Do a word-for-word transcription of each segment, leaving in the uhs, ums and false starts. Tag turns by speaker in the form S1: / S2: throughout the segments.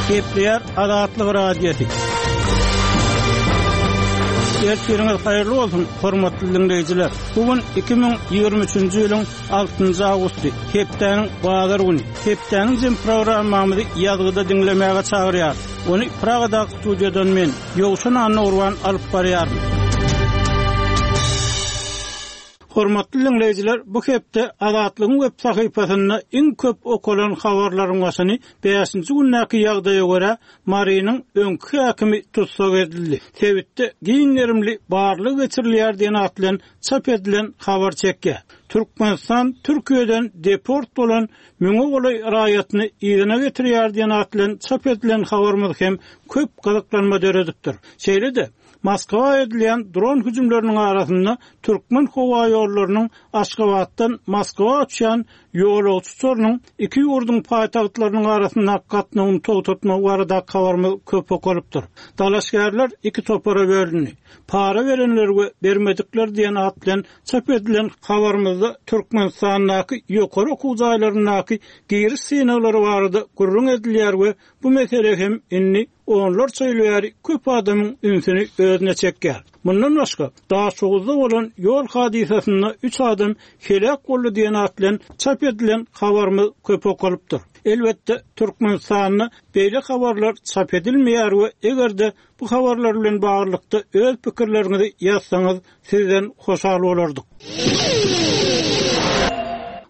S1: Gepleýär Azatlyk Radiosy. Ertiriňiz haýyrly bolsun, hormatly dinleýjiler. Bu gün iki müň ýigrimi üçünji ýylyň altynjy awgusty, hepdäniň bazar güni. Hepdäniň jem programmamyzy ýazgyda diňlemäge çagyrýar. Ony Pragadaky studiýadan men, Ýowşan Annagurban alyp barýaryn. Hormatly dinleýjiler, bu hepde Azatlygyň web sahypasynda iň köp okalan habarlaryň başyny bäşinji gündäki ýagdaýa görä Marynyň öňki häkimi tussag edildi. Sebitde giň gerimli barlyk geçirilýär diýen at bilen çap edilen habar çekýär. Türkmenistan Türkiýeden deport bolan müňe golaý raýatyny yzyna getirýär diýen at bilen çap edilen habarymyz hem köp gyzyklanma döredipdir. Şeýle-de Moskwa edilýän dron hüjümleriniň arasynda Türkmen howa ýollarynyň Aşgabatdan Moskwa uçýan ýolagçy uçarynyň iki ýurduň paýtagtlarynyň arasynda gatnawyny togtatmak barada habarymyz köp okalypdyr. Dalaşgärler iki topara bölündi. Para berenler we bermedikler diýen at bilen çap edilen habarymyzda Türkmenistandaky ýokary okuw jaýlaryndaky giriş synaglary barada gürrüň edilýär we bu mesele hem indi onlarça ýyl bäri köp adamyň ünsüni özüne çekýär. Mundan başga, Daşoguzda bolan ýol hadysasynda üç adam helak boldy diýen at bilen çap edilen habarymyz köp okalypdyr. Elbetde Türkmenistanda beýle habarlar çap edilmeýär we eger-de bu habarlar bilen baglylykda öz pikirleriňizi ýazsaňyz sizden hoşal bolardyk.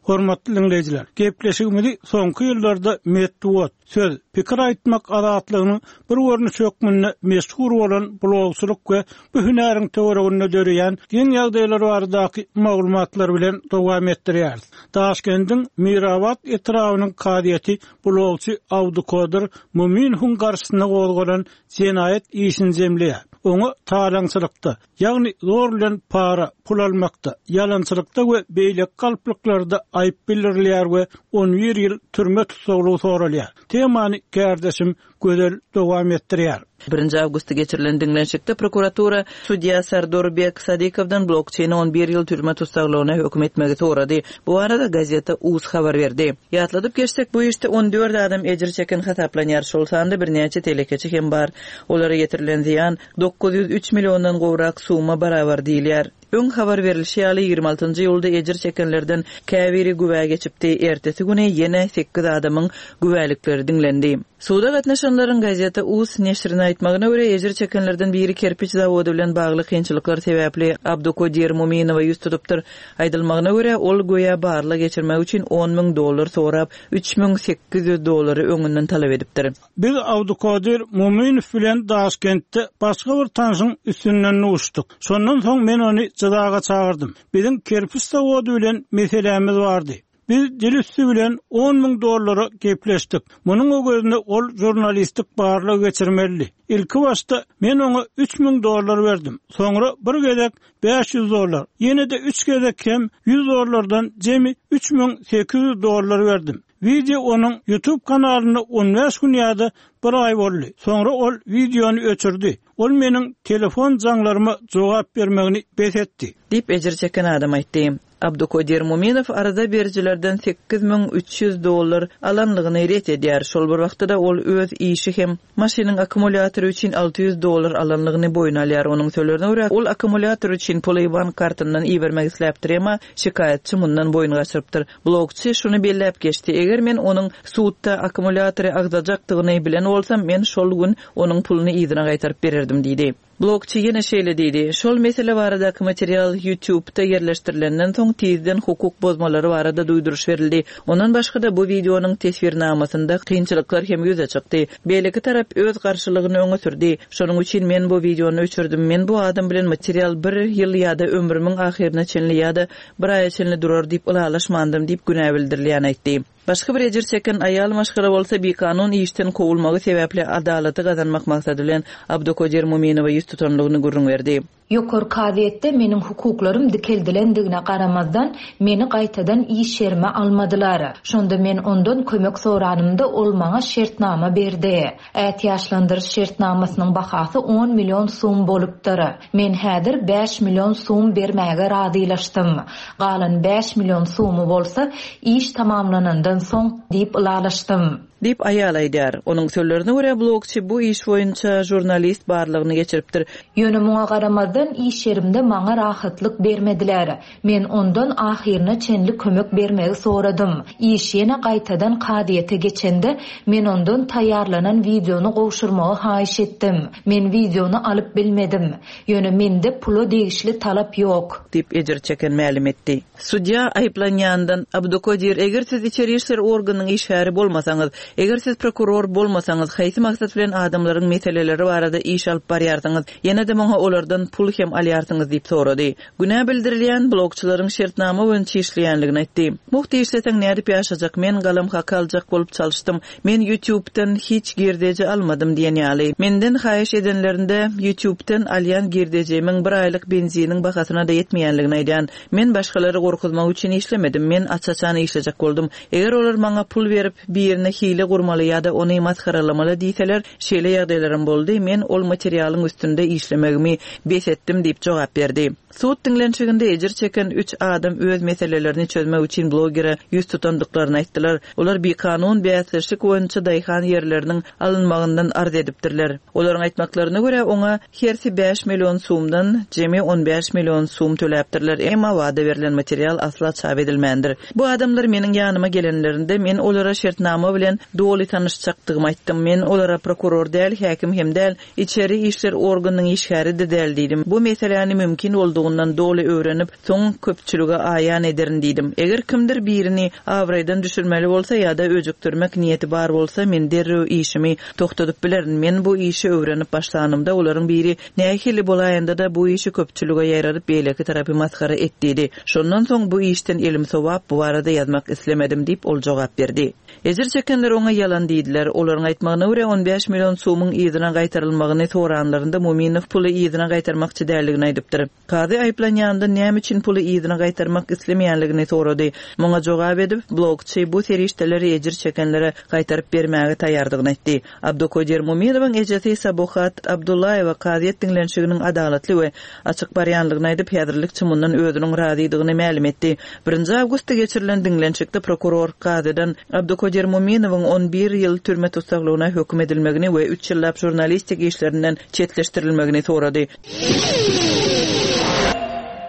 S1: Hormatly dinleýjiler, gepleşigimizi soňky ýyllarda metbugat, söz, pikir aýtmak azatlygynyň bir görnüşi hökmünde meşhur bolan blogçylyk we bu hünäriň töwereginde döreýän giň ýagdaýlar baradaky maglumatlar bilen dowam etdirýäris. Daşkendiň Mirabat etrabynyň kazyýeti blogçy Abdukodir Muminowuň garşysyna gozgalan jenaýat işini jemleýär. Oňa talaňçylykda, ýagny zor bilen para, pul almakda, ýalançylykda we beýleki galplyklarda aýyp bildirilýär we on bir ýyl türme tussaglygy soralýar. Temany kärdeşim Gözel dowam etdirýär.
S2: Birinji awgustda geçirilen diňlenişikde prokuratura sudýa Sardorbek Sadikowdan blokçeýni on bir ýyl türme tussaglygyna höküm etmegi sorady. Bu arada gazeta Uz habar berdi. Ýatladyp geçsek, bu işde on dört adam ejir çeken hasaplanýar. Şol sanda birnäçe telekeçi hem bar. Olara ýetirilen zyýan dokuz ýüz üç milliondan gowrak suma barabar diýilýär. Öň habar berilişi ýaly ýigrimi altynjy ýylda ejir çekenlerden käbiri güwä geçipdi. Ertesi güni ýene sekiz adamyň güwälikleri diňlendi. Suda gatnaşanlaryň gazeta Uz neşrine aýtmagyna görä ejir çekenlerden biri kerpiç zawody bilen bagly kynçylyklar sebäpli Abdukodir Muminowa ýüz tutupdyr. Aýdylmagyna görä ol göýä barla geçirmek üçin on müň dollar sorap, üç müň sekiz ýüz dollary öňünden talap edipdir.
S1: Biz Abdukodir Muminow bilen Daşkentde başga bir tanşyň üstünden uçduk. Şondan soň men ony jyzaga çagyrdym. Biziň kerpiç zawody bilen meselämiz bardy. Biz dil üstü bilen on müň dollara gepleşdik. Munuň öwezine ol jurnalistik barlyk geçirmeli. Ilki başda men oňa üç müň dollar berdim. Soňra bir gezek bäş ýüz dollar, ýene de üç gezek hem ýüz dollardan jemi üç müň sekiz ýüz dollar berdim. Video onuň YouTube kanalynda on bäş gün ýa-da bir aý boldy. Soňra ol videony öçürdi. Ol meniň telefon jaňlaryma jogap bermegini bes etdi.
S2: Diýip ejir çeken adam aýtdy. Abdukodir Muminow arada bericilerden sekiz müň üç ýüz dollar alanlygyny ret edýär. Şol bir wagtda da ol öz işi hem maşynyň akkumulýatory üçin alty ýüz dollar alanlygyny boýun alýar. Onuň sözlerine görä ol akkumulýator üçin puly bank kartyndan ibermek isläpdir, emma şikaýatçy mundan boýun gaçyrypdyr. Blogçy şuny belläp geçdi. Eger men onuň sudda akkumulýatory agzajakdygyny bilen bolsam, men şol gün onuň puluny yzyna gaýtaryp bererdim diýdi. Blogçy ýene şeýle diýdi. Şol mesele baradaky material YouTube'da ýerleşdirilenden soň tizden hukuk bozmalary barada duýduryş berildi. Ondan başga da bu videonyň teswirnamasynda kynçylyklar hem ýüze çykdy. Beýleki tarap öz garşylygyny öňe sürdi. Şonuň üçin men bu videony öçürdim. Men bu adam bilen material bir ýyl ýa-da ömrümiň ahyryna çenli ýa-da bir aýa çenli durar diýip ylalaşmandym diýip günä bildirilýän aýtdy. Başga bir ejir çeken aýal maşgala bolsa bikanun işden kowulmagy sebäpli adalaty gazanmak maksady bilen Abdukodir Muminowa ýüz tutanlygyny gürrüň berdi.
S3: Ýokary kazyýetde meniň hukuklarym dikeldilendigine garamazdan, meni gaýtadan iş ýerime almadylar. Şonda men ondan kömek soranymda ol maňa şertnama berdi. Ätiýaçlandyryş şertnamasynyň bahasy on million sum bolupdyr. Men häzir bäş million sum bermäge razylaşdym. Galan bäş million sumy bolsa iş tamamlanandan soň diýip ylalaşdym.
S2: Diýip aýal aýdýar. Onuň sözlerine görä blogçy bu iş boýunça žurnalist barlygyny geçiripdir.
S3: Ýöne muňa garamazdan iş ýerimde maňa rahatlyk bermediler. Men ondan ahyryna çenli kömek bermegi soradym. Iş ýene gaýtadan kazyýete geçende men ondan taýýarlanan wideony gowşurmagy haýyş etdim. Men wideony alyp bilmedim. Ýöne mende pula degişli talap ýok.
S2: Diýip ejir çeken mälim etdi. Sudýa aýyplanýandan Abdukodir, eger siz içeri işler organynyň işgäri bolmasaňyz, eger siz prokuror bolmasaňyz, haýsy maksat bilen adamlaryň meseleleri barada iş alyp barýarsyňyz, ýene-de muňa olardan pul hem alýarsyňyz diýip sorady. Günä bildirilýän blogçylaryň şertnama boýunça işleýänligini aýtdy. Mugt işleseň nädip ýaşajak, men galam haky aljak bolup çalyşdym. Men YouTube'dan hiç girdeji almadym diýen ýaly. Menden haýyş edenlerinde YouTube'dan alýan girdejimiň bir aýlyk benziniň bahasyna da ýetmeýänligini aýdan. Men başgalary gorkuzmak üçin işlemedim. Men aç-açan işlejek boldum. Eger olar maňa pul berip birine hile gurmaly ýa-da ony masgaralamaly diýseler, şeýle ýagdaýlarym boldy. Men ol materialyň üstünde işlemegimi bes etdim diýip jogap berdi. Sud diňlenişiginde ejir çeken üç adam öz meselelerini çözmek üçin blogere ýüz tutandyklaryny aýtdylar. Olar bikanun bäsleşik boýunça daýhan ýerleriniň alynmagyndan arz edipdirler. Olaryň aýtmaklaryna görä oňa hersi bäş million sumdan jemi on bäş million sum töläpdirler. Emma wada berlen material asla çap edilmändir. Bu adamlar meniň ýanyma gelenlerinde men olara şertnama bilen doly tanyşjakdygymy aýtdym. Men olara prokuror däl, häkim hem däl, içeri işler organynyň işgäri de däl diýdim. Bu meseläni mümkin boldugyny doly öwrenip, soň köpçülige aýan ederin diýdim. Eger kimdir birini abraýdan düşürmeli bolsa ýa-da öjükdirmek niýeti bar bolsa, men derrew işimi toxtadyp bilerin. Men bu işi öwrenip başlanymda olaryň biri nähili bolaýanda da bu işi köpçülige ýaýradyp beýleki tarapy masgara et diýdi. Şondan soň bu işden elim sowap bu barada ýazmak islemedim diýip ol jogap berdi. Ejir çekenler oňa ýalan diýdiler. Olaryň aýtmagyna görä on bäş million sumyň yzyna gaýtarylmagyny soranlarynda Muminow puly yzyna gaýtarmakçy däldigini aýdypdyr. Kazy aýyplanýanda näme üçin puly yzyna gaýtarmak islemeýänligini sorady. Muňa jogap edip, blogçy bu serişdeleri ejir çekenlere gaýtaryp bermäge taýýardygyny aýtdy. Abdukodir Muminowyň ejesi Sabuhat Abdullaýewa kazyýet diňlenişiginiň adalatly we açyk barýanlygyny aýdyp, häzirlikçe mundan özüniň razydygyny mälim etdi. Birinji awgustda geçirilen diňlenişikde prokuror kazydan Abdukodir Muminowyň on bir ýyl türme tussaglygyna höküm edilmegini we üç ýyllap žurnalistik işlerinden çetleşdirilmegini sorady.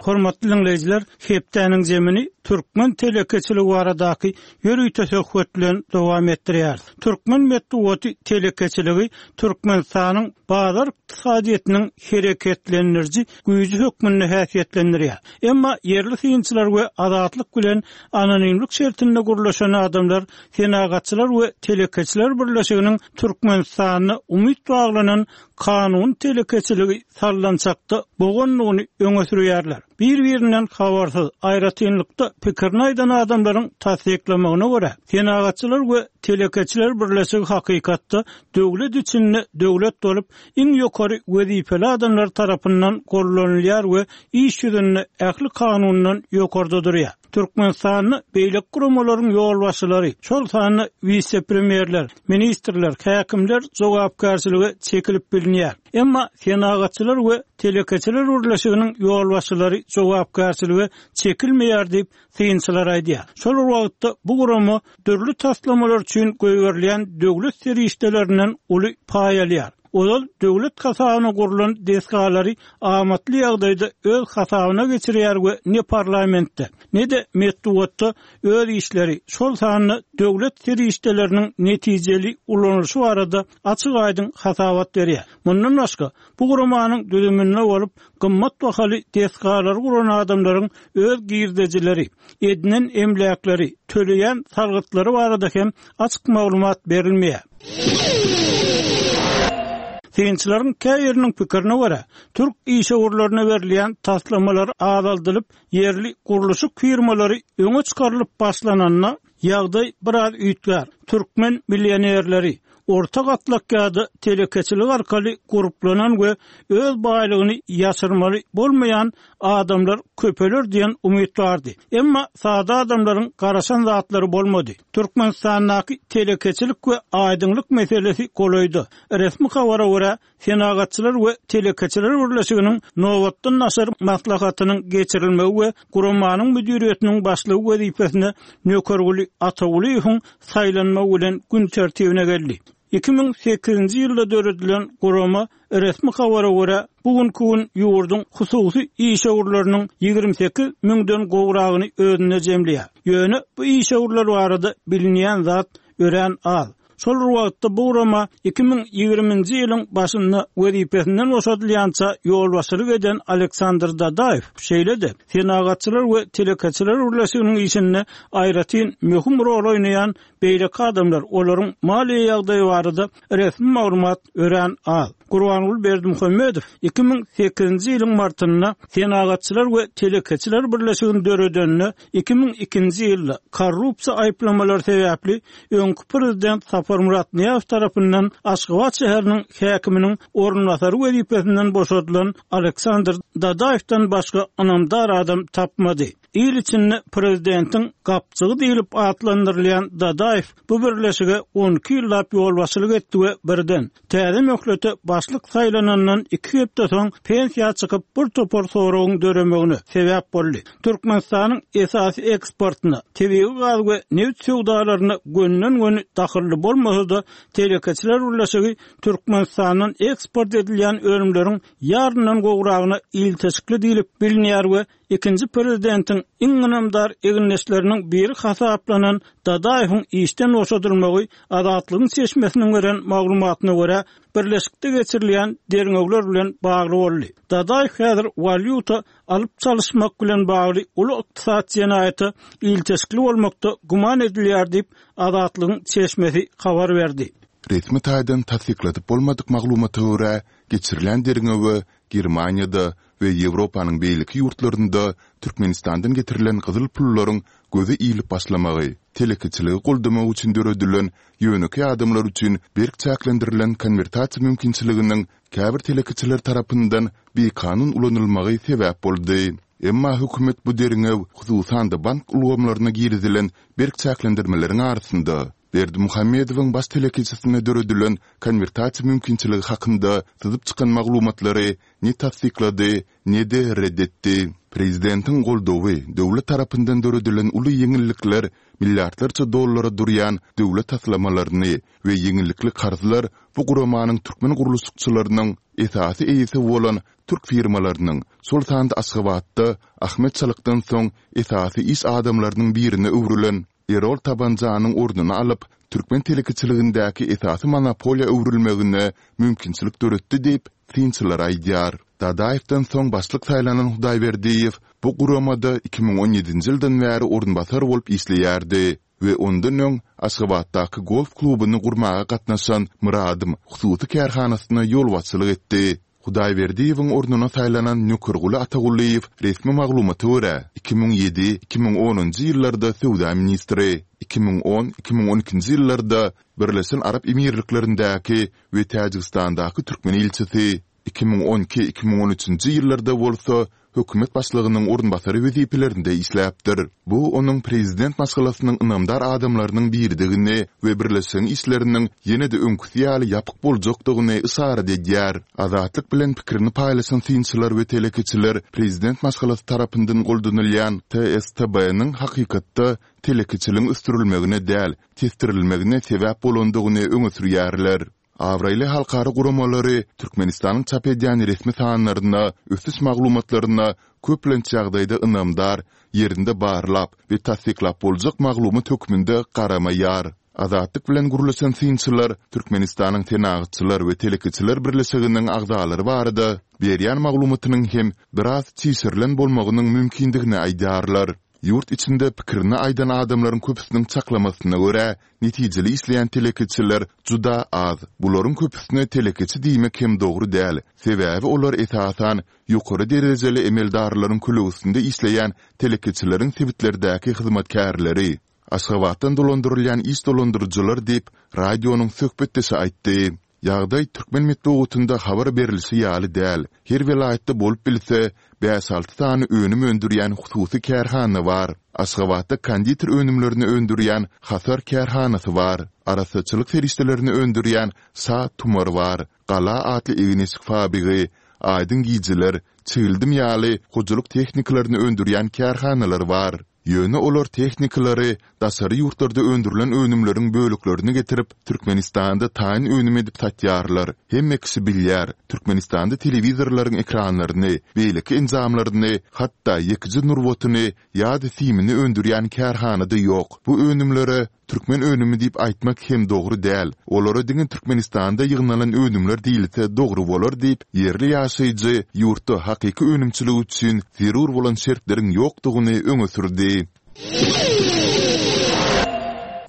S1: Hormatly dinleýjiler, hepdäniň zemini Türkmen telekeçiligi baradaky ýörite söhbet bilen dowam etdirýär. Türkmen metbugaty telekeçiligi Türkmenistanyň bazar ykdysadyýetiniň hereketlendiriji güýji hökmünde häsiýetlendirýär. Emma ýerli synçylar we azatlyk bilen anonimlik şertinde gurlaşan adamlar Senagatçylar we telekeçiler birleşiginiň Türkmenistanda umyt baglanan kanun telekeçiligi sallançakda boğanlygyny öňe sürýärler. Bir-birinden habarsyz, aýratynlykda pikirini aýdan adamlaryň tassyklamagyna görä, Senagatçylar we telekeçiler birleşigi hakykatda döwlet içinde döwlet bolup, iň ýokary wezipeli adamlar tarapyndan gollanylýar we iş ýüzünde ähli kanundan ýokarda durýar. Türkmenistanda beýleki guramalaryň ýolbaşçylary, şol sanda wise-premýerler, ministrler, häkimler jogapkärçilige çekilip bilinýär. Emma Senagatçylar we telekeçiler birleşiginiň ýolbaşçylary jogapkärçilige çekilmeýär diýip synçylar aýdýar. Şol wagtda bu gurama dürli taslamalar üçin goýberilýän döwlet serişdelerinden uly paý alýar. Ozal döwlet hasabyna gurulan desgalary amatly ýagdaýda öz hasabyna geçirýär we ne parlamentde, ne de metbugatda öz işleri, şol sanda döwlet serişdeleriniň netijeli ulanylyşy barada açyk aýdyň hasabat berýär. Mundan başga, bu guramanyň düzüminde bolup, gymmat bahaly desgalary guran adamlaryň öz girdejileri, edinen emläkleri, töleýän salgytlary barada hem açyk maglumat berilmeýär. Synçylaryň käýeriniň pikirine görä, türk işewürlerine berilýän taslamalar azaldylyp, ýerli gurluşyk firmalary öňe çykarylyp başlananda ýagdaý biraz üýtgär. Türkmen millionerleri, orta gatlak ýa-da telekeçilik arkaly gurplanan we öz baýlygyny ýaşyrmaly bolmaýan adamlar köpeler diýen umyt bardy. Emma sada adamlaryň garaşan zatlary bolmady. Türkmenistandaky telekeçilik we aýdyňlyk meselesi golaýda. Resmi habara görä, Senagatçylar we telekeçiler birleşiginiň nobatdan daşary maslahatynyň geçirilmegi we guramanyň müdiriýetiniň başlygy wezipesine Nökerguly Atagulyýewiň saýlanmagy bilen gün tertibine geldi. Iki müň sekizinji ýylda döredilen gurama resmi habara görä, bu günki gün ýurduň hususy işewürleriniň ýigrimi sekiz müňden gowragyny özünde jemleýär. Ýöne bu işewürler barada bilinýän zat örän az. Şol bir wagtda bu gurama iki müň ýigriminji ýylyň başynda wezipesinden boşadylýança ýolbaşçylyk eden Aleksandr Dadaýew, şeýle-de Senagatçylar we telekeçiler birleşiginiň işinde aýratyn möhüm rol oýnaýan beýleki adamlar, olaryň maliýe ýagdaýy barada resmi maglumat örän az. Gurbanguly Berdimuhamedow iki müň sekizinji ýylyň martynda Senagatçylar we telekeçiler birleşigini döredeninde iki müň ikinji ýylda korrupsiýa aýyplamalary sebäpli öňki prezident Saparmyrat Nyýazow tarapyndan Aşgabat şäheriniň häkiminiň orunbasary wezipesinden boşadylan Aleksandr Dadaýewden başga ynamdar adam tapmady. Il içinde prezidentiň gapjygy diýlip atlandyrylýan Dadaýew bu birleşige on iki ýyllap ýolbaşçylyk etdi we birden täze möhlete başlyk saýlanandan iki hepde soň pensiýa çykyp bir topar soragyň döremegine sebäp boldy. Türkmenistanyň esasy eksportyna, tebigy gaz we neft söwdalaryna gönden-göni dahylly bolmasa-da, telekeçiler birleşigi Türkmenistandan eksport edilýän önümleriň ýaryndan gowragyna ilteşikli diýlip bilinýär we ikinji prezidentiň iň ynamdar egindeşleriniň biri hasaplanan Dadaýewiň işden boşadylmagy Azatlygyň çeşmesiniň beren maglumatyna görä, birleşikde geçirilýän derňewler bilen bagly boldy. Dadaýew häzir walýuta alyp çalyşmak bilen bagly uly ykdysady jenaýata ilteşikli bolmakda güman edilýär diýip, Azatlygyň çeşmesi habar berdi.
S4: Resmi taýdan tassykladyp bolmadyk maglumata görä, geçirilen derňewe Germaniýada we Ýewropanyň beýleki ýurtlarynda Türkmenistandan getirilen gyzyl pullaryň göze ilip başlamagy, telekeçiligi goldamak üçin döredilen ýönekeý adamlar üçin berk çäklendirilen konwertasiýa mümkinçiliginiň käbir telekeçiler tarapyndan bikanun ulanylmagy sebäp boldy. Emma hökümet bu derňew, hususan-da bank ulgamlaryna girizilen berk çäklendirmeleriň arasynda, Berdimuhamedowyň baş telekeçisine döredilen konwertasiýa mümkinçiligi hakynda syzyp çykan maglumatlary ne tassyklady, ne-de ret etdi. Prezidentiň goldawy, döwlet tarapyndan döredilen uly ýeňillikler, milliardlarça dollara durýan döwlet taslamalaryny we ýeňillikli karzlar bu guramanyň türkmen gurluşykçylarynyň esasy eýesi bolan türk firmalarynyň, şol sanda Aşgabatda Ahmet Çalykdan soň esasy iş adamlarynyň birine öwrülen Erol Tabanjanyň ornuny alyp, türkmen telekeçiligindäki esasy monopoliýa öwrülmegine mümkinçilik döretdi diýip, synçylar aýdýar. Dadaýewden soň başlyk saýlanan Hudaýberdiýew bu guramada iki müň on ýedinji ýyldan bäri orunbasar bolup işleýärdi we ondan öň Aşgabatdaky golf klubuny gurmaga gatnaşan Myradym hususy kärhanasyna ýolbaşçylyk etdi. Hudaýberdiýewiň ornuna saýlanan Nökerguly Atagulyýew resmi maglumata görä, iki müň ýedi, iki müň onunjy ýyllarda söwda ministri, iki müň on, iki müň on ikinji ýyllarda Birleşen Arap Emirliklerindäki we Täjigistandaky türkmen ilçisi, iki müň on iki, iki müň on üçünji ýyllarda bolsa hökümet başlygynyň orunbasary wezipelerinde işläpdir. Bu onuň prezident maşgalasynyň ynamdar adamlarynyň biridigini we birleşigiň işleriniň ýene-de öňküsi ýaly ýapyk boljakdygyny yşarat edýär. Azatlyk bilen pikirini paýlaşan synçylar we telekeçiler prezident maşgalasy tarapyndan goldanylýan T S T B-niň hakykatda telekeçiligiň ösdürilmegine däl, tesdirilmegine sebäp bolandygyny öňe sürýärler. Abraýly halkara guramalary Türkmenistanyň çap edýän resmi sanlaryna, ösüş maglumatlaryna köplenç ýagdaýda ynamdar, ýerinde barlap we tassyklap boljak maglumat hökmünde garamaýar. Azatlyk bilen gürleşen synçylar Türkmenistanyň Senagatçylar we telekeçiler birleşiginiň agzalary barada berýän maglumatynyň hem biraz çişirilen bolmagynyň mümkindigini aýdýarlar. Ýurt içinde pikirini aýdan adamlaryň köpüsiniň çaklamasyna görä, netijeli işleýän telekeçiler juda az. Bularyň köpüsine telekeçi diýmek hem dogry däl, sebäbi olar esasan ýokary derejeli emeldarlaryň kölegesinde işleýän telekeçileriň sebitlerdäki hyzmatkärleri. Aşgabatdan dolandyrylýan iş dolandyryjylar diýip, radionyň söhbetdeşi aýtdy. Ýagdaý türkmen metbugatynda habar berlişi ýaly däl. Her welaýatda bolup bilse, bäş-alty sany önüm öndürýän hususy kärhana bar. Aşgabatda konditer önümlerini öndürýän Hasar kärhanasy bar. Arassaçylyk serişdelerini öndürýän Şa tumar bar. Gala atly egin-eşik fabrigi, Aýdyň gijeler, Çigildim ýaly hojalyk tehnikalaryny öndürýän kärhanalar bar. Ýöne olar tehnikalary, daşary ýurtlarda öndürilen önümleriň böleklerini getirip, Türkmenistanda taýyn önüm edip satýarlar. Hemme kişi bilýär, Türkmenistanda telewizorlaryň ekranlaryny, beýleki enjamlaryny, hatda ýekeje nurbatyny ýa-da simini öndürýän kärhana-da ýok. Bu önümlere Türkmen önümi diýip aýtmak hem dogry däl, olara diňe Türkmenistanda ýygnalan önümler diýilse dogry bolar diýip, ýerli ýaşaýjy ýurtda hakyky önümçilik üçin zerur bolan şertleriň ýokdugyny öňe sürdi.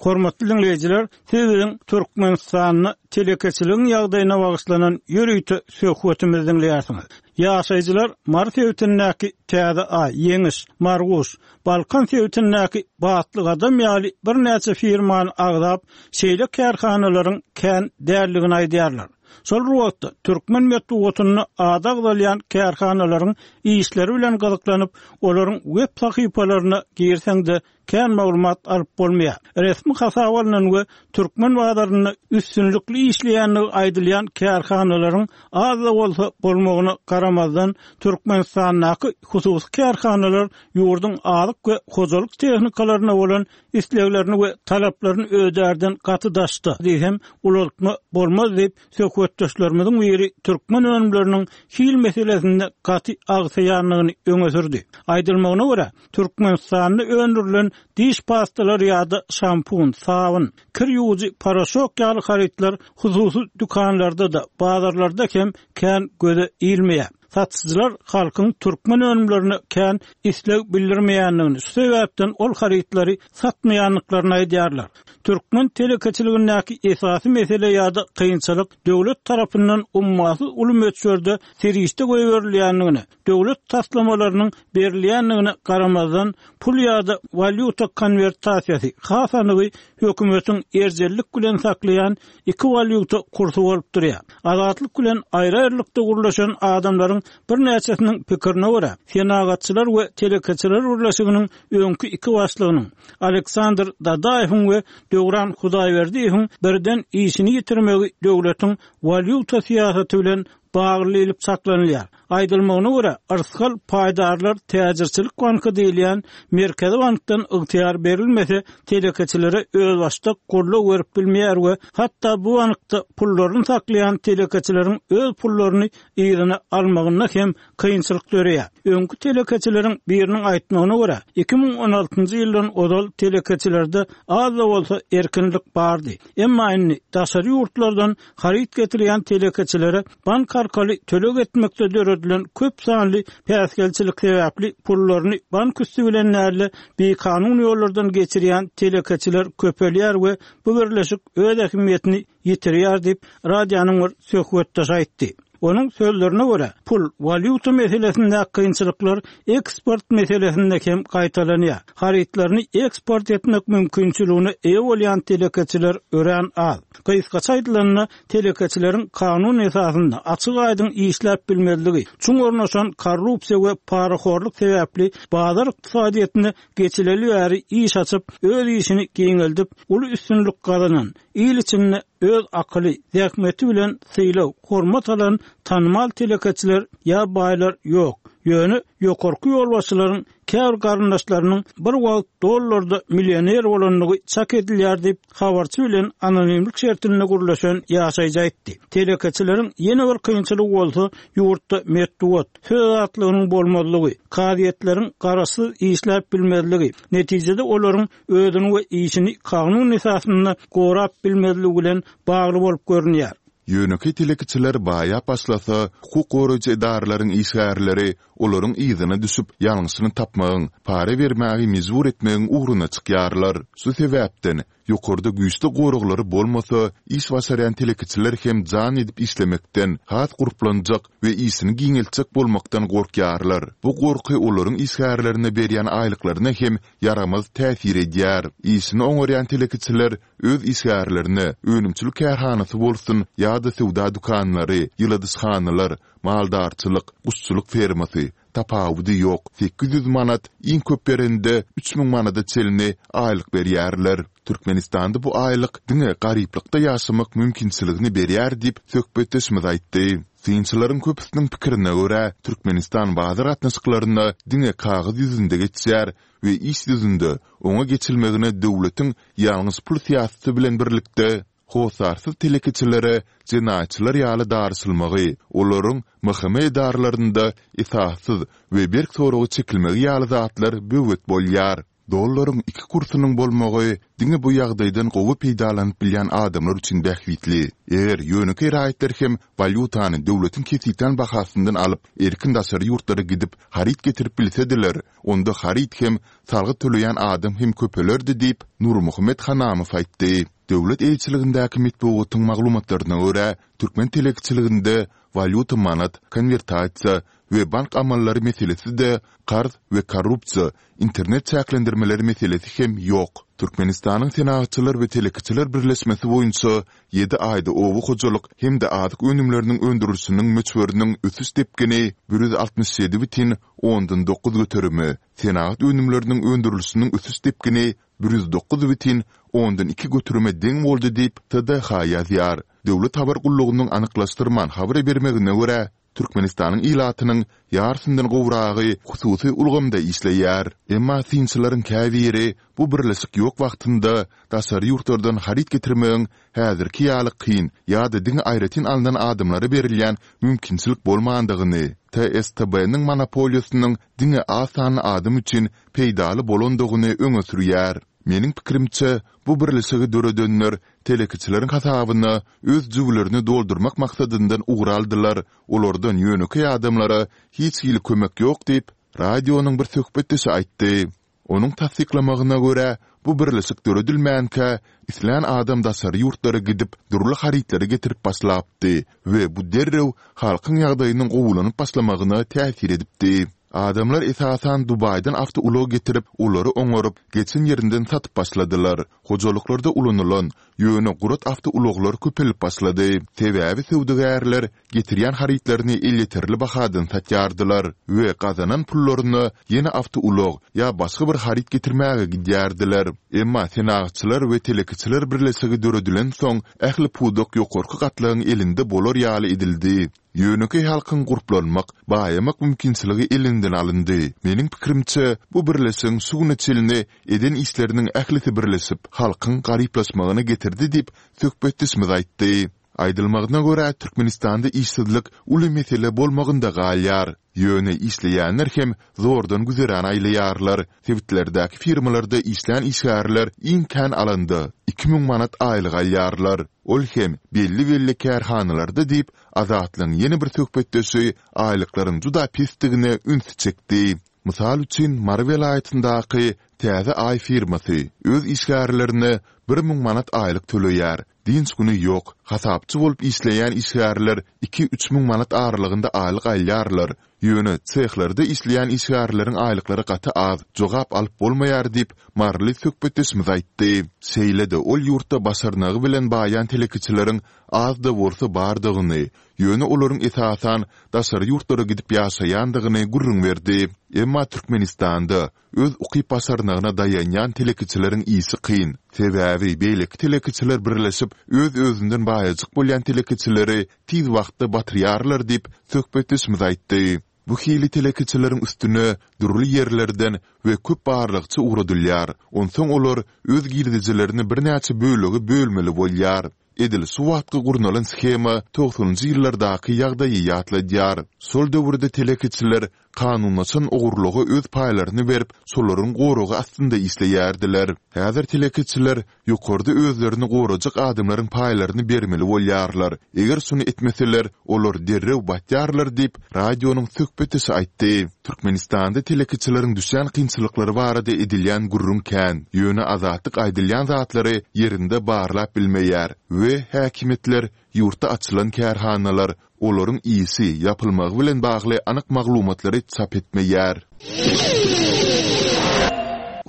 S1: Hormatly diňleýjiler, siz biziň Türkmenistanda telekeçiligiň ýagdaýyna bagyşlanan ýörite söhbetimizi diňleýärsiňiz. Ýaşaýjylar Mary sebitindäki Täze Aý, Ýeňiş, Marguş, Balkan sebitindäki Batly Gadam ýaly birnäçe firmany agzap, şeýle kärhanalaryň kän däldigini aýdýarlar. Şol bir wagtda, türkmen metbugatynda ady agzalýan kärhanalaryň işleri bilen gyzyklanyp, olaryň web sahypalaryna girseň-de, kän maglumat alyp bolmaýar. Resmi hasaba alnan we türkmen bazarynda üstünlikli işleýändigi aýdylýan kärhanalaryň az-da bolsa bolmagyna garamazdan, Türkmenistandaky hususy kärhanalar ýurduň azyk we hojalyk tehnikalaryna bolan isleglerini we talaplaryny ödärden gaty daşda diýsem, ulaltma bolmaz diýip, söhbetdeşlerimiziň biri türkmen önümleriniň hil meselesinde gaty agsaýandygyny öňe sürdi. Aýdylmagyna görä, Türkmenistanda öndürilen diş pastalary ýa-da şampun, sabyn, kir ýuwujy poroşok ýaly harytlar hususy dükanlarda-da, bazarlarda hem kän göze ilmeýär. Satyjylar halkyň türkmen önümlerine kän isleg bildirmeýändigini, şu sebäpden ol harytlary satmaýandyklaryny aýdýarlar. Türkmen telekeçiligindäki esasy mesele ýa-da kynçylyk döwlet tarapyndan ummasyz uly möçberde serişde goýberilýändigine, döwlet taslamalarynyň berilýändigine garamazdan, pul ýa-da walýuta konwertasiýasy, has anygy hökümetiň erjellik bilen saklaýan iki walýuta kursy bolup durýar. Azatlyk bilen aýry-aýrylykda gürleşen adamlaryň birnäçesiniň pikirine görä, Senagatçylar we telekeçiler birleşiginiň öňki iki başlygynyň, Aleksandr Dadaýewiň we Döwran Hudaýberdiýewiň birden işini ýitirmegi döwletiň walýuta syýasaty bilen bagly diýlip çaklanylýar. Aýdylmagyna görä, Yrsgal paýdarlar täjirçilik banky diýilýän Merkezi bankdan ygtyýar berilmese, telekeçilere özbaşdak goldaw berip bilmeýär we hatda bu bankda pullaryny saklaýan telekeçileriň öz pullaryny yzyna almagynda hem kynçylyk döreýär. Öňki telekeçileriň biriniň aýtmagyna görä, iki müň on altynjy ýyldan ozal telekeçilerde az-da bolsa erkinlik bardy. Emma indi daşary ýurtlardan haryt getirýän telekeçilere bank arkaly töleg etmekde döredilen köp sanly päsgelçilik sebäpli pullaryny bank üsti bilen däl-de, bikanun ýollardan geçirýän telekeçiler köpelýär we bu birleşik öz ähmiýetini ýitirýär diýip, radionyň bir söhbetdeşi aýtdy. Onuň sözlerine görä, pul, walýuta meselesindäki kynçylyklar eksport meselesinde hem gaýtalanýar. Harytlaryny eksport etmek mümkinçiligine eýe bolýan telekeçiler örän az. Gysgaça aýdylanda, telekeçileriň kanun esasynda açyk-aýdyň işläp bilmezligi, çuň ornaşan korrupsiýa we parahorluk sebäpli bazar ykdysadyýetine geçileli bäri iş açyp, öz işini giňeldip, uly üstünlik gazanan, il içinde öz akyly, zähmeti bilen sylag, hormat alan tanymal telekeçiler ýa baýlar ýok. Ýöne ýokarky ýolbaşçylaryň käbir garyndaşlarynyň bir wagt dollarda millioner bolandygy çak edilýär diýip, habarçy bilen anonimlik şertinde gürleşen ýaşaýjy aýtdy. Telekeçileriň ýene bir kynçylygy bolsa, ýurtda metbugat, söz azatlygynyň bolmazlygy, kazyýetleriň garaşsyz işläp bilmezligi, netijede olaryň özüni we işini kanun esasynda gorap bilmezligi bilen bagly bolup görünýär.
S4: Ýönekeý telekeçiler baýap başlasa, hukuk goraýjy edaralaryň işgärleri olaryň yzyna düşüp, ýalňyşyny tapmagyň, para bermäge mejbur etmegiň ugruna çykýarlar. Şu sebäpden, ýokarda güýçli goraglary bolmasa, iş başarýan telekeçiler hem jan edip işlemekden, has gurplanjak we işini giňeltjek bolmakdan gorkýarlar. Bu gorky olaryň işgärlerine berýän aýlyklaryna hem ýaramaz täsir edýär. Işini oňarýan telekeçiler öz işgärlerine, önümçilik kärhanasy bolsun ýa-da söwda dükanlary, ýyladyşhanalar, maldarçylyk, guşçulyk fermasy, tapawudy ýok, sekiz ýüz manat, iň köp berende üç müň manada çenli aýlyk berýärler. Türkmenistanda bu aýlyk diňe garyplykda ýaşamak mümkinçiligini berýär diýip, söhbetdeşimiz aýtdy. Synçylaryň köpüsiniň pikirine görä, Türkmenistan bazar gatnaşyklaryna diňe kagyz ýüzünde geçýär we iş ýüzünde oňa geçilmegine döwletiň ýalňyş pul syýasaty bilen birlikde hossarsyz telekeçilere jenaýatçylar ýaly daryşylmagy, olaryň M H M edaralarynda esassyz we berk soraga çekilmegi ýaly zatlar böwet bolýar. Dollaryň iki kursunyň bolmagy diňe bu ýagdaýdan gowy peýdalanyp bilýän adamlar üçin bähbitli. Eger ýönekeý raýatlar hem walýutany döwletiň kesgitlän bahasyndan alyp, erkin daşary ýurtlara gidip, haryt getirip bilsediler, onda haryt hem, salgyt töleýän adam hem köpelerdi diýip, Nurmuhammet Hanamow aýtdy. Döwlet eýeçiligindäki metbugatyň maglumatlaryna görä, türkmen telekeçiliginde walýuta-manat, konwertasiýa we bank amallary meselesi-de, karz we korrupsiýa, internet çäklendirmeleri meselesi hem ýok. Türkmenistanyň Senagatçylar we telekeçiler birleşmesi boýunça ýedi aýda oba hojalyk hem-de azyk önümleriniň öndürilişiniň möçberiniň ösüş depgini bir ýüz altmyş ýedi bütin ondan dokuz göterime, senagat önümleriniň öndürilişiniň ösüş depgini bir ýüz dokuz bütin ondan iki göterime deň boldy diýip, T D H ýazýar. Döwlet habar gullugynyň anyklaşdyrman habar bermegine görä, Türkmenistanyň ilatynyň ýarysyndan gowragy hususy ulgamda işleýär. Emma synçylaryň käbiri bu birleşik ýok wagtynda daşary ýurtlardan haryt getirmegiň häzirki ýaly kyn ýa-da diňe aýratyn alnan adamlara berilýän mümkinçilik bolmandygyny, T S T B-niň monopoliýasynyň diňe az sanly adam üçin peýdaly bolandygyny öňe sürýär. Meniň pikirimçe, bu birleşigi döredenler telekeçileriň hasabyna öz jübülerini doldurmak maksadyndan ugur aldylar, olardan ýönekeý adamlara hiç hili kömek ýok diýip, radionyň bir söhbetdeşi aýtdy. Onuň tassyklamagyna görä, bu birleşik döredilmänkä, islän adam daşary ýurtlara gidip, dürli harytlary getirip başlapdy we bu derrew halkyň ýagdaýynyň gowulanyp başlamagyna täsir edipdi. Adamlar esasan Dubaýdan awtoulag getirip, olary oňaryp, geçen ýerinden satyp başladylar. Hojalyklarda ulanylan, ýöne gurat awtoulaglar köpelip başlady. Sebäbi söwdagärler getirýän harytlaryny elýeterli bahadan satýardylar we gazanan pullaryna ýene awtoulag ýa başga bir haryt getirmäge gidýärdiler. Emma Senagatçylar we telekeçiler birleşigi döredilensoň, ähli pudak ýokarky gatlagyň elinde bolar ýaly edildi. Ýönekeý halkyň gurplanmak, baýamak mümkinçiligi elinden alyndy. Meniň pikirimçe, bu birleşigiň şu güne çenli eden işleriniň ählisi birleşip, halkyň garyplaşmagyna getirdi diýip, söhbetdeşimiz aýtdy. Aýdylmagyna görä, Türkmenistanda işsizlik uly mesele bolmagynda galýar. Ýöne işleýänler hem zordan güzeran aýlaýarlar. Sebitlerdäki firmalarda işlän işgärler iň kän alanda, iki müň manat aýlyk alýarlar. Ol hem belli-belli kärhanalarda diýip, Azatlygyň ýene bir söhbetdeşi aýlyklaryň juda pesdigine ünsi çekdi. Mysal üçin, Mary welaýatyndaky Täze Aý firmasy öz işgärlerine bir müň manat aýlyk töleýär. Dynç güni ýok. Hasapçy bolup işleýän işgärler iki-üç müň manat aralygynda aýlyk alýarlar. Ýöne sehlerde işleýän işgärleriň aýlyklary gaty az, jogap alyp bolmaýar diýip, maryly söhbetdeşimiz aýtdy. Şeýle-de ol ýurtda başarnygy bilen baýan telekeçileriň az-da bolsa bardygyny, ýöne olaryň esasan daşary ýurtlara gidip ýaşaýandygyny gürrüň berdi. Emma Türkmenistanda öz ukyp-başarnygyna daýanýan telekeçileriň işi kyn. Sebäbi beýleki telekeçiler birleşip, öz-özünden baýajyk bolýan telekeçileri tiz wagtda batyrýarlar diýip, söhbetdeşimiz aýtdy. Bu hili telekeçileriň üstüne dürli ýerlerden we köp barlagçy ugradylýar, onsoň olar öz girdejilerini birnäçe bölege bölmeli bolýar. Edil şu wagtky gurnalan shema togsanynjy ýyllardaky ýagdaýy ýatladýar. Şol döwürde telekeçiler Kanunlaşan ogurlyga öz paýlaryny berip, şolaryň goragy astynda işleýärdiler. Häzir telekeçiler ýokarda özlerini gorajak adamlaryň paýlaryny bermeli bolýarlar. Eger şuny etmeseler, olar derrew batýarlar diýip, radionyň söhbetdeşi aýtdy. Türkmenistanda telekeçileriň düşýän kynçylyklary barada edilýän gürrüň kän, ýöne Azatlyk aýdylýan zatlary ýerinde barlap bilmeýär we häkimiýetler ýurtda açylan kärhanalar, olaryň işi, ýapylmagy bilen bagly anyk maglumatlary çap etmeýär.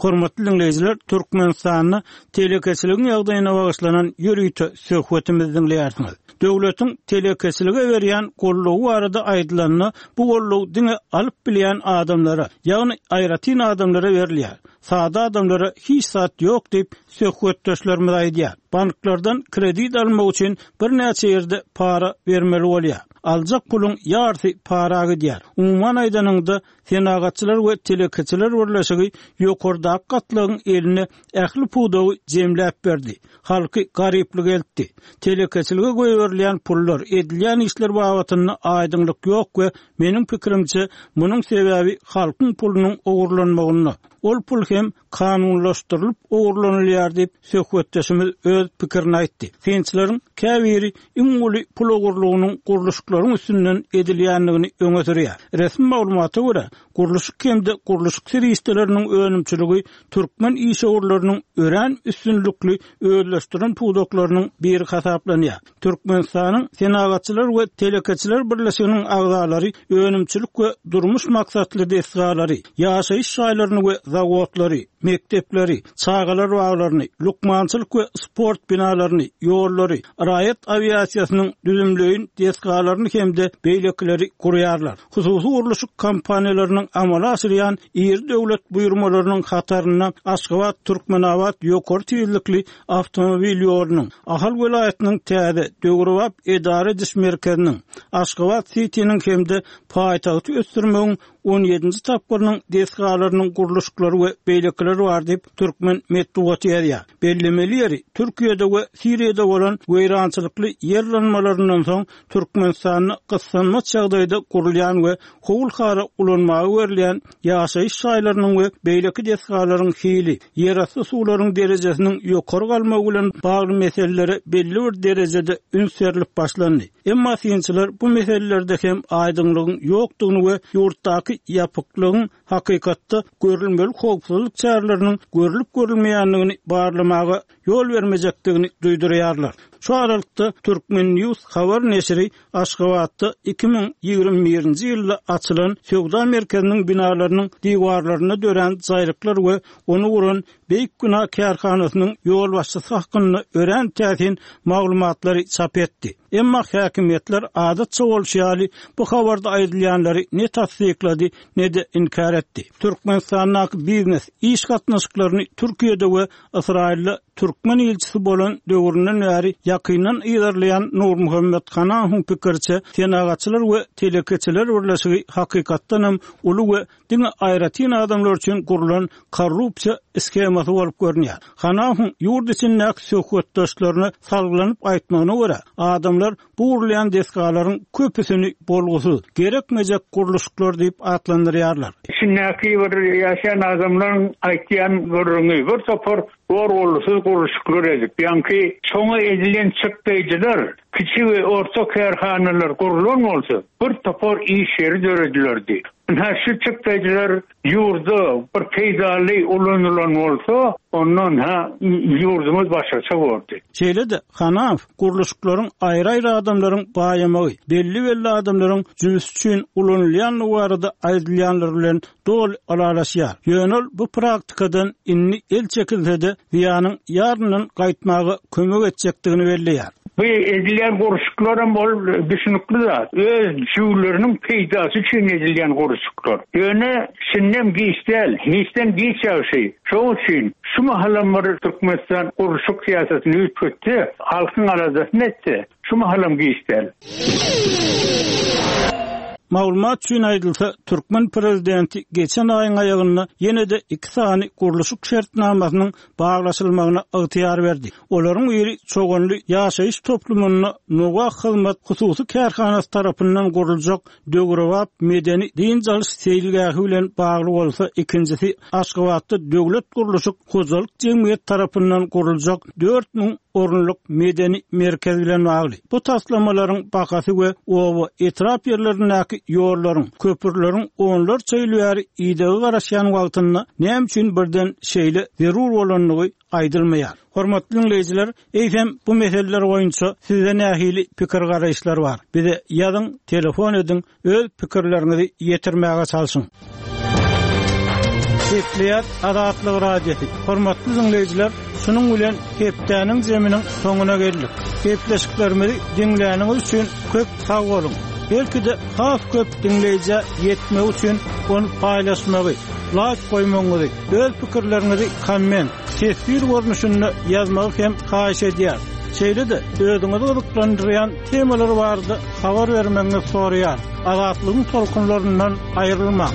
S1: Hormatly diňleýjiler, Türkmenistanda telekeçiligiň ýagdaýyna bagyşlanan ýörite söhbetimizi diňleýärsiňiz. Döwletiň telekeçilige berýän goldawy barada aýdylanda, bu goldaw diňe alyp bilýän adamlara, ýagny aýratyn adamlara berilýär. Sada adamlara hiç zat ýok diýip, söhbetdeşlerimiz aýdýar. Banklardan kredit almak üçin birnäçe ýerde para bermeli bolýar. Aljak puluň ýarysy para gidýär. Umuman aýdanyňda, Senagatçylar we telekeçiler birleşigi ýokardaky gatlagyň eline ähli pudagy jemläp berdi. Halky garyplyga eltdi. Telekeçilige goýberilýän pullar, edilýän işler babatynda aýdyňlyk ýok we meniň pikirimçe, munuň sebäbi halkyň pulunyň ogurlanmagynda. Ol pul hem kanunlaşdyrylyp ogurlanylýar diýip, söhbetdeşimiz öz pikirini aýtdy. Synçylaryň käbiri iň uly pul ogurlygynyň gurluşyklaryň üstünden edilýändigini öňe sürýär. Resmi maglumata görä, gurluşyk hem-de gurluşyk serişdeleriniň önümçiligi türkmen işewürleriniň örän üstünlikli özleşdiren pudaklarynyň biri hasaplanýar. Türkmenistanyň Senagatçylar we telekeçiler birleşiginiň agzalary önümçilik we durmuş maksatly desgalary, ýaşaýyş jaýlaryny we zawodlary, mekdepleri, çagalar baglaryny, lukmançylyk we sport binalaryny, ýollary, raýat awiasiýasynyň düzümleýin desgalaryny hem-de beýlekileri gurýarlar. Hususy gurluşyk kompaniýalarynyň amala aşyrýan iri döwlet buýurmalarynyň hatarynda Aşgabat-Türkmenabat ýokary tizlikli awtomobil ýolunyň, Ahal welaýatynyň täze, döwrebap edara ediş merkeziniň, Aşgabat-sitiniň hem-de paýtagty ösdürmegiň on ýedinji tapgyrynyň desgalarynyň gurluşyklary we beýlekiler bar diýip, türkmen metbugaty ýazýar. Bellemeli ýeri, Türkiýede we Siriýada bolan weýrançylykly ýer yranmalaryndan soň Türkmenistanda gyssanmaç ýagdaýda gurulýan we howul-hara ulanmaga berilýän ýaşaýyş jaýlarynyň we beýleki desgalaryň hili, ýerasty suwlaryň derejesiniň ýokary galmagy bilen bagly meselelere belli bir derejede üns berlip başlandy. Emma synçylar bu meselelerde hem aýdyňlygyň ýokdugyny we ýurtdaky ýapyklygyň hakykatda görülmeli howpsuzlyk çäreleriniň görlüp-görülmeýändigini barlamaga ýol bermejekdigini duýdurýarlar. Şu aralykda Turkmen News habar neşiri Aşgabatda iki müň ýigrimi birinji ýylda açylan söwda merkeziniň binalarynyň diwarlarynda dörän jaýryklar we ony guran Beýik Bina kärhanasynyň ýolbaşçysy hakynda örän täsin maglumatlary çap etdi. Emma häkimiýetler adatça bolşy ýaly bu habarda aýdylýanlary ne tassyklady, ne-de inkär etdi. Türkmenistandaky biznes iş gatnaşyklaryny Türkiýede we Ysraýylda türkmen ilçisi bolan döwründen bäri ýakyndan yzarlaýan Nurmuhammet Hanahowyň pikiriçe, Senagatçylar we telekeçiler birleşigi hakykatdanam uly we diňe aýratyn adamlar üçin gurlan korrupsiýa shemasy bolup görünýär. Hanahowyň ýurt içindäki söhbetdeşlerine salgylanyp aýtmagyna görä, adamlar bu gurulýan desgalaryň köpüsini bolgusyz, gerekmejek gurluşyklar diýip atlandyrýarlar.
S5: Içindäki bir ýaşaýan adamlaryň aýtýan gürrüňi bir topar gorgulsyz gurluşyklar edip, ýaňky şoňa edilen çykdaýjylar kiçi we orta kärhanalar gurulan bolsa, bir topar iş ýeri döredilerdi. Ynha şu çykdaýjylar ýurda bir peýdaly ulanylan bolsa, ondan ha ýurdumyz başgaça bordy.
S1: Şeýle-de Hanahow gurluşyklaryň aýry-aýry adamlaryň baýamagy, belli-belli adamlaryň jübüsi üçin ulanylýandygy barada aýdylýanlar bilen doly ylalaşýar. Ýöne ol bu praktikadan indi el çekilse-de zyýanyň ýaryndan gaýtmaga kömek etjekdigini belleýär.
S5: Bu edilýän gurluşyklaram ol düşünikli zat. Öz jüwleriniň peýdasy üçin edilýän gurluşyklar. Ýöne şindem giç däl, hiçden giç ýagşy. Şoň üçin şu mahalam bir Türkmenistan gurluşyk syýasatyny üýtgetse, halkyň aladasyny etse, şu mahalam giç däl.
S1: Maglumat üçin aýdylsa, türkmen prezidenti geçen aýyň aýagynda ýene-de iki sany gurluşyk şertnamasynyň baglaşylmagyna ygtyýar berdi. Olaryň biri Çoganly ýaşaýyş toplumynda Nowa hyzmat hususy kärhanasy tarapyndan guruljak döwrebap medeni dynç alyş seýilgähi bilen bagly bolsa, ikinjisi Aşgabatda döwlet gurluşyk hojalyk jemgyýeti tarapyndan guruljak dört müň orunlyk medeni merkez bilen bagly. Bu taslamalaryň bahasy we oba etrap ýerlerindäki ýollaryň, köprüleriň onlarça ýyl bäri idegi garaşýan wagtynda näme üçin birden şeýle zerur bolandygy aýdylmaýar. Hormatly dinleýjiler, eýsem bu meseleler boýunça sizde nähili pikir garaýyşlar bar? Bize ýazyň, telefon ediň, öz pikirleriňizi ýetirmäge çalşyň. Gepleýär Azatlyk Radiosy. Hormatly dinleýjiler, şunuň bilen hepdäniň zeminiň soňuna geldik. Gepleşiklerimizi diňläniňiz üçin köp sag boluň. Belki-de has köp dinleýjä ýetmek üçin ony paýlaşmagy, like goýmagyňyzy, öz pikirleriňizi komment, teswir görnüşinde ýazmagy hem haýyş edýär. Şeýle-de özüňizi gyzyklandyrýan temalar barada habar bermegiňizi soraýar. Azatlygyň tolkunlaryndan aýrylmaň.